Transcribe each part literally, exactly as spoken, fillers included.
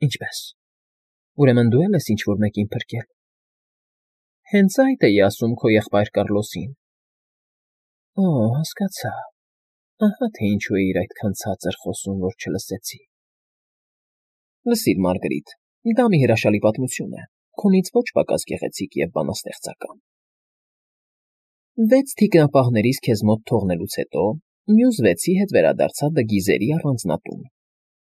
Ինչպե՞ս։ Ուրեմն դու էլ ես ինչ-որ մեկին փրկել։ Հենց այդ էի ասում քո եղբայր Կառլոսին։ Օ, հասկացա։ Ահա թե ինչու էիր այդքան ցածր խոսում, որ չլսեցի։ Լսիր, Մարգարիտ, դա մի հրաշալի պատմություն է, քոնից ոչ պակաս գեղեցիկ և բանաստեղծական։ Վեց թիկնապահներից քեզ մոտ թողնելուց հետո մյուս վեցի հետ վերադարձա Դգիզերի առանձնատուն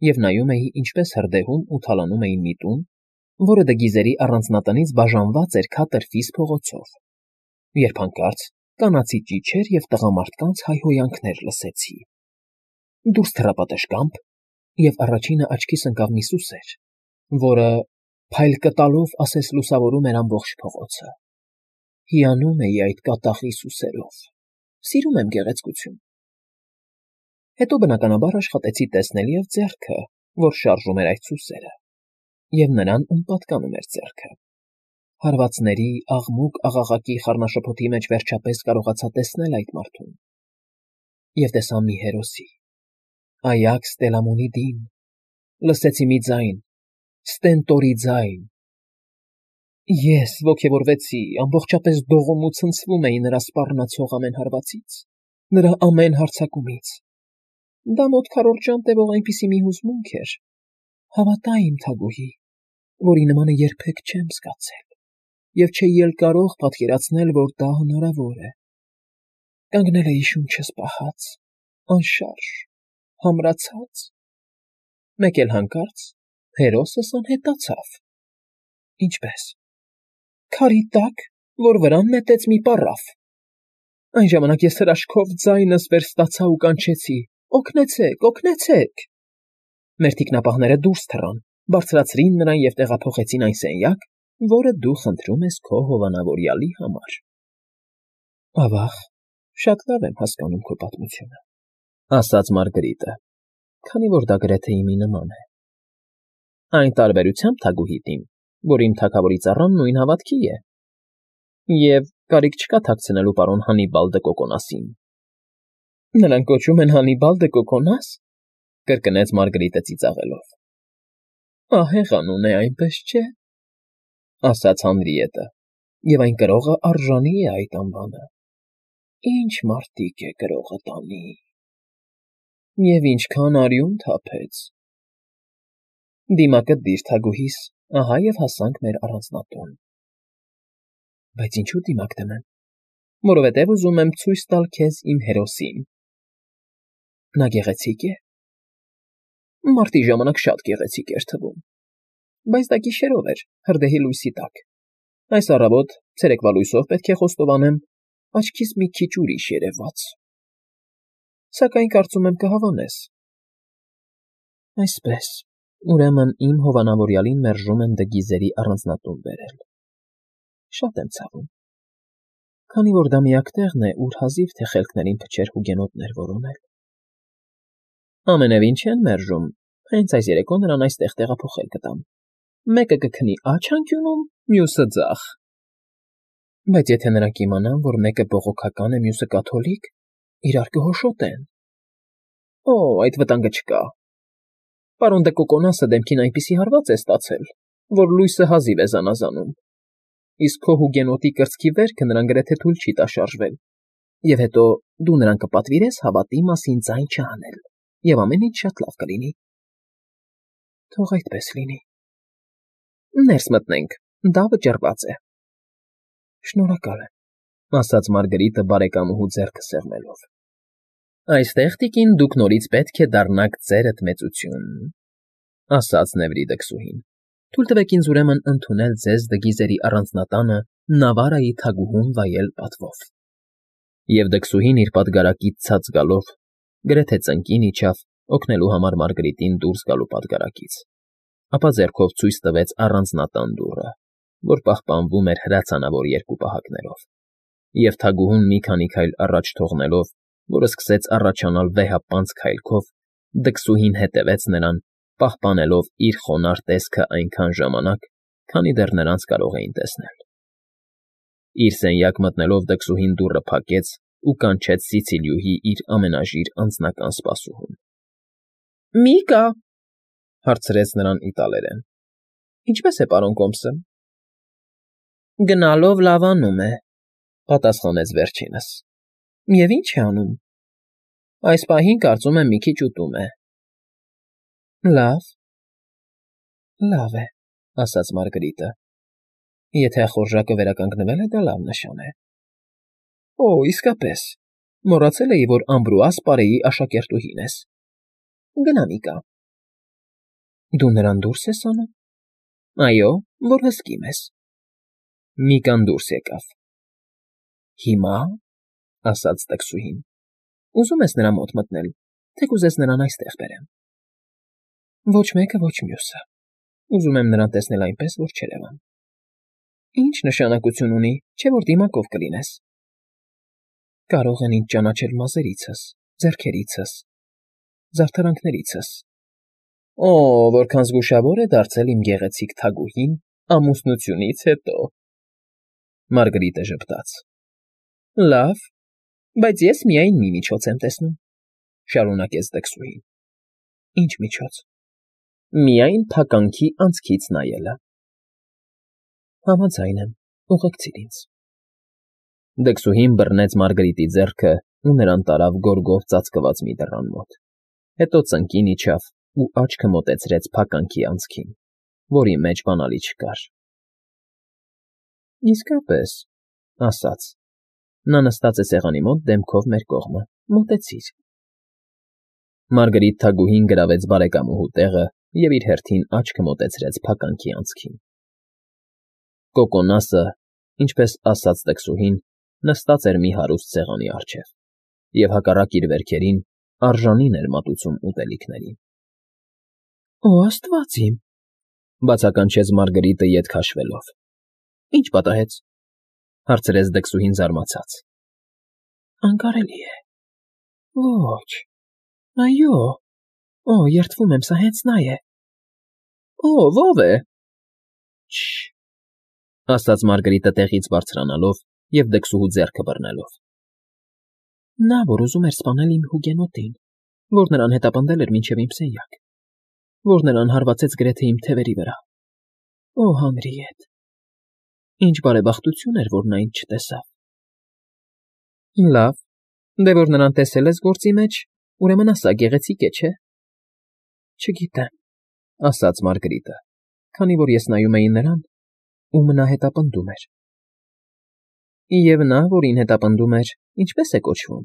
և նայում էի, ինչպես հրդեհում ու թալանում էին մի տուն, որը Դգիզերի առանձնատնից բաժանված էր քաթրֆիս փողոցով, երբ հանկարծ կանացի ճիչեր և տղամարդկանց հայհոյանքներ լսեցի։ Դուրս թռա պատշգամբ, և առաջինը աչքիս ընկավ մի սուսեր, որը փայլ կտալով ասես լուսավորում էր ամբողջ փողոցը։ Հիանում էի այդ կատաղի սուսերով։ Սիրում եմ գեղեցկություն։ Հետո բնականաբար աշխատեցի տեսնել և ձեռքը, որ շարժում էր այդ սուսերը, և նրան, ում պատկանում էր ձեռքը։ Հարվածների, աղմուկ, աղաղակի, խառնաշփոթի մեջ վերջապես կարողացա տեսնել այդ մարդուն։ Եվ տեսա մի հերոսի, Այաքս Տելամոնի դին, լսեցի մի ձայն, Ստենտորի ձայն։ Ես ոգևորվեցի, ամբողջապես դողում ու ցնցվում էի նրա սպառնացող ամեն հարվածից, նրա ամեն հարձակումից։ Դա մոտ քառորդ ժամ տևող այնպիսի մի հուզմունք էր, հավատա իմ թագուհի, որի նմանը երբեք չեմ զգացել, և չէի էլ կարող պատկերացնել, որ դա հնարավոր է։ Կանգնել էի շունչս պահած, անշարժ, համրացած։ Մեկ էլ հանկարծ հերոսս անհետացավ։ Ինչպե՞ս։ Քարի տակ, որ վրան նետեց մի պառավ։ Այն ժամանակ ես հրաշքով ձայնս վերստացա ու կանչեցի. «Օգնեցե՛ք, օգնեցե՛ք»։ Մեր թիկնապահները դուրս թռան, բարձրացրին նրան և տեղափոխեցին այն սենյակ, որը դու խնդրում ես քո հովանավորյալի համար։ Ավաղ, շատ լավ եմ հասկանում քո պատմությունը, ասաց Մարգարիտը, քանի որ դա գրեթե իմի նման է։ Այն տարբերությամբ, թագուհիդ իմ, որ իմ թագավորի ծառան նույն հավատքի է։ Եվ կարիք չկա թաքցնելու պարոն Հանիբալ դը Կոկոնասին։ Նրան կոչում են Հանիբալ դը Կոկոնաս, կրկնեց Մարգարիտը ծիծաղելով։ Ահեղ անուն է, այնպես չէ, ասաց Հանրիետը, և այն կրողը արժանի է այդ անվանը։ Ինչ մարտիկ է կրողը տանի։ Եվ ինչքան արյուն թափեց։ Դիմակդ դիր, թագուհիս, ահա և հասանք մեր առանձնատուն։ Բայց ինչու դիմակ դնեմ, որովհետև ուզում եմ ցույց տալ քեզ իմ հերոսին։ Նա գեղեցիկ է։ Մարտի ժամանակ շատ գեղեցիկ էր թվում, բայց դա գիշերով էր, հրդեհի լույսի տակ։ Այս առավոտ ցերեկվա լույսով պետք է խոստովանեմ, աչքիս մի քիչ ուրիշ երևաց։ Սակայն կարծում եմ կհավանես։ Այսպես, ուրեմն իմ հովանավորյալին մերժում են Դգիզերի առանձնատուն բերել։ Շատ եմ ցավում, քանի որ դա միակ տեղն է, ուր հազիվ թե խելքներին փչեր հուգենոտներ որոնել։ Ամենևին չեն մերժում, հենց այս երեկո նրան այստեղ տեղափոխել կտամ։ Մեկը կքնի աջ անկյունում, մյուսը ձախ։ Բայց եթե նրանք իմանան, որ մեկը բողոքական է, մյուսը կաթոլիկ, իրար կհոշոտեն։ Օ, այդ վտանգը չկա։ Պարոն դը Կոկոնասը դեմքին այնպիսի հարված է ստացել, որ լույսը հազիվ է զանազանում։ Իսկ քո հուգենոտի կրծքի վերքը նրան գրեթե թույլ չի տա շարժվել։ Եվ հետո դու նրան կպատվիրես հավատի մասին ձայն չհանել, և ամեն ինչ շատ լավ կլինի։ Թող այդպես լինի։ Ներս մտնենք, դա վճռված է։ Շնորհակալ եմ, ասաց Մարգարիտը բարեկամուհու ձեռքը սեղմելով։ Այստեղ, տիկին, դուք նորից պետք է դառնաք ձերդ մեծություն, ասաց Նևրիդը քսուհին։ Թույլ տվեք ինձ ուրեմն ընդունել ձեզ Դգիզերի առանձնատանը Նավարայի թագուհուն վայել պատվով։ Եվ դքսուհին իր պատգարակից ցած գալով գրեթե ծնկին իջավ օգնելու համար Մարգարիտին դուրս գալու պատգարակից, ապա ձեռքով ցույց տվեց առանձնատան դուռը, որ պահպանվում էր հրացանավոր երկու պահակներով, և թագուհուն մի քանի քայլ առաջ թողնելով, որ սկսեց առաջանալ վեհապանծ քայլքով, դքսուհին հետևեց նրան, պահպանելով իր խոնարհ տեսքը այնքան ժամանակ, քանի դեռ նրանց կարող էին տեսնել։ Իր սենյակ մտնելով դքսուհին դուռը փակեց ու կանչեց Սիցիլիուհի իր ամենաժիր անձնական սպասուհուն։ Մի կա, Հարցրեց նրան իտալերեն։ Ինչպե՞ս է, պարոն Կոմսը։ Գնալով լավանում է, պատասխանեց վերջինս։ Եվ ի՞նչ է անում։ Այս պահին կարծում եմ մի քիչ ուտում է։ Լավ, լավ է, ասաց Մարգարիտը։ Եթե ախորժակը վերականգնվել է, դա լավ նշան է։ Օ, իսկապես, մոռացել էի, որ Ամբրուաս պարեի աշակերտուհին ես։ Գնա մի կա։ Դու նրան դուրս ես անում։ Այո, որ հսկիմ ես։ Միկան դուրս եկավ։ Հիմա, ասաց տքսուհին, ուզում ես նրա մոտ մտնել, թե կուզես նրան այստեղ բերեմ։ Ոչ մեկը, ոչ մյուսը։ Ուզում եմ նրան տեսնել այնպես, որ չերևան։ Ինչ նշանակություն ունի, չէ՞ որ դիմակով կլինես։ Կարող են ինձ ճանաչել մազերիցս, ձեռքերիցս, զարդարանքներիցս։ Օ, որքան զգուշավոր է դարձել իմ գեղեցիկ թագուհին ամուսնությունից հետո։ Մարգարիտը ժպտաց։ Լավ, բայց ես միայն մի միջոց եմ տեսնում, շարունակեց տքսուհին։ Ինչ միջոց։ Միայն փականքի անցքից նայելը։ Համաձայն եմ, ուղեկցիր ինձ։ Դքսուհին բռնեց Մարգարիտի ձեռքը ու նրան տարավ գորգով ծածկված մի դռան մոտ։ Հետո ծնկին իջավ ու աչքը մոտեցրեց փականքի անցքին, որի մեջ բանալի չկար։ Իսկապես, ասաց, նա նստած է սեղանի մոտ դեմքով մեր կողմը, մոտեցիր։ Մարգարիտ թագուհին գրավեց բարեկամուհու տեղը և իր հերթին աչքը մոտեցրեց փականքի անցքին։ Կոկոնասը, ինչպես ասաց տքսուհին, նստած էր մի հարուստ սեղանի առջև, և հակառակ իր վերքերին արժանին էր մատուցում ուտելիքներին։ Օ, աստված իմ, բացականչեց Մարգարիտը ետ քաշվելով։ Ինչ պատահեց, հարցրեց դքսուհին զարմացած։ Անկարելի է։ Ոչ, այո, օ, երդվում եմ, սա հենց նա է։ Օ, ո՞վ է։ Չը, ասաց Մարգարիտը տեղից բարձրանալով և դքսուհու ձեռքը բռնելով։ Նա, որ ուզում էր սպանել իմ հուգենոտին, որ նրան հետապնդել էր մինչև իմ սենյակ, որ նրան հարվածեց գրեթե իմ թևերի վրա։ Օ, Հանրիետ, ինչ բարեբախտություն էր, որ նա ինձ չտեսավ։ Լավ, դե որ նրան տեսել ես գործի մեջ, ուրեմն ասա, գեղեցիկ է, չէ։ Չգիտեմ, ասաց Մարգարիտը, քանի որ ես նայում էի նրան, ում նա հետապնդում էր։ Եվ նա, որին հետապնդում էր, ինչպե՞ս է կոչվում։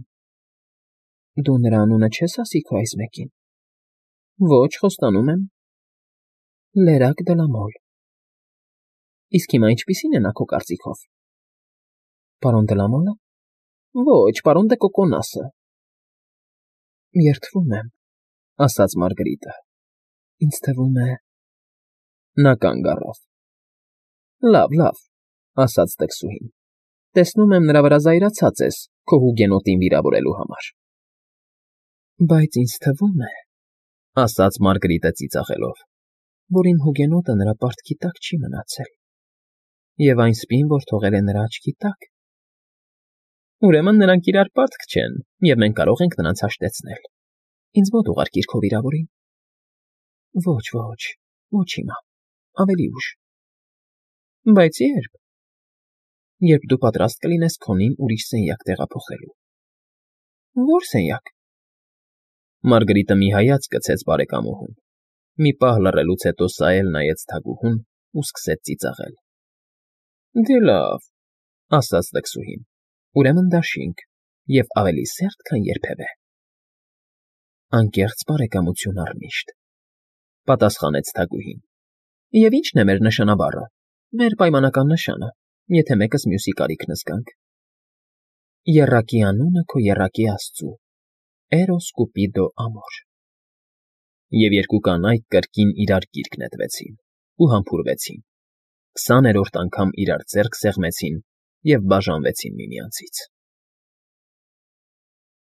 Դու նրա անունը չես ասի քո այս մեկին։ Ոչ, խոստանում եմ։ Լերակ Դլամոլ։ Իսկ հիմա ինչպիսին է նա քո կարծիքով։ Պարոն Դլամոլը։ Ոչ, պարոն դե Կոկոնասը։ Երդվում եմ, ասաց Մարգարիտը։ Ինձ թվում է… Նա կանգ առավ։ Լավ, լավ, ասաց տքսուհին։ Տեսնում եմ, նրա վրա զայրացած ես քո հուգենոտին վիրավորելու համար։ Բայց ինձ թվում է, ասաց Մարգարիտը ծիծաղելով, որ իմ հուգենոտը նրա պարտքի տակ չի մնացել, և այն սպին, որ թողել է նրա աչքի տակ։ Ուրեմն նրանք իրար պարտք չեն, և մենք կարող ենք նրանց հաշտեցնել։ Ինձ մոտ ուղարկիր քո վիրավորին։ Ոչ, ոչ, ոչ հիմա, ավելի ուշ։ Բայց երբ։ Երբ դու պատրաստ կլինես քոնին ուրիշ սենյակ տեղափոխելու։ Ո՞ր սենյակ։ Մարգարիտը մի հայացք գցեց բարեկամուհուն։ Մի պահ լռելուց հետո սա էլ նայեց թագուհուն ու սկսեց ծիծաղել։ Դե լավ, ասաց տքսուհին, ուրեմն դաշինք և ավելի սերտ, քան երբևէ։ Անկեղծ բարեկամություն առնիշտ, պատասխանեց թագուհին։ Եվ ի՞նչն է մեր նշանաբառը, մեր պայմանական նշանը, եթե մեկս մյուսի կարիքն զգանք։ Եռակի անունը քո եռակի աստծու, Էրոս Կուպիդո ամոր։ Եվ երկու կանայք կրկին իրար գիրկ նետվեցին ու համբուրվեցին, քսաներորդ անգամ իրար ձեռք սեղմեցին և բաժանվեցին միմյանցից։